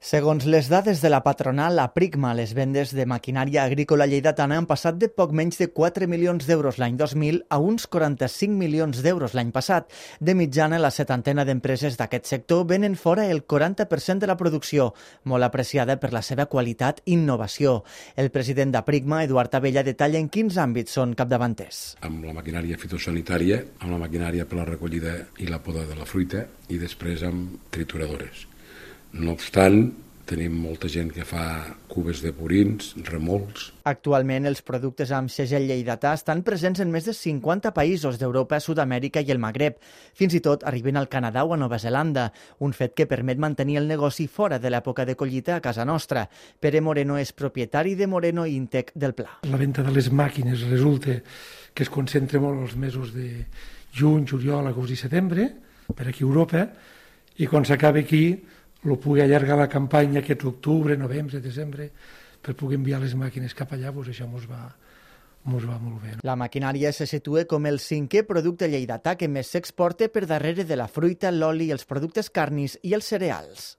Segons les dades de la patronal, la Pricma, les vendes de maquinària agrícola lleidatana han passat de poc menys de 4 milions d'euros l'any 2000 a uns 45 milions d'euros l'any passat. De mitjana, la setantena d'empreses d'aquest sector venen fora el 40% de la producció, molt apreciada per la seva qualitat i innovació. El president de Pricma, Eduard Abella, detalla en quins àmbits són capdavanters. Amb la maquinària fitosanitària, amb la maquinària per la recollida i la poda de la fruita i després amb trituradores. No obstant, tenim molta gent que fa cubes de purins, remolcs. Actualment, els productes amb segell lleidatà estan presents en més de 50 països d'Europa, Sud-amèrica i el Magreb. Fins i tot arriben al Canadà o a Nova Zelanda, un fet que permet mantenir el negoci fora de l'època de collita a casa nostra. Pere Moreno és propietari de Moreno Intec del Pla. La venda de les màquines resulta que es concentra molt els mesos de juny, juliol, agost i setembre, per aquí a Europa, i quan s'acaba aquí lo pugui allargar la campanya aquest octubre, novembre, desembre, per poder enviar les màquines cap allà, doncs això mos va molt bé. La maquinària se situa com el 5è producte lleidatà que més s'exporta per darrere de la fruita, l'oli, els productes carnis i els cereals.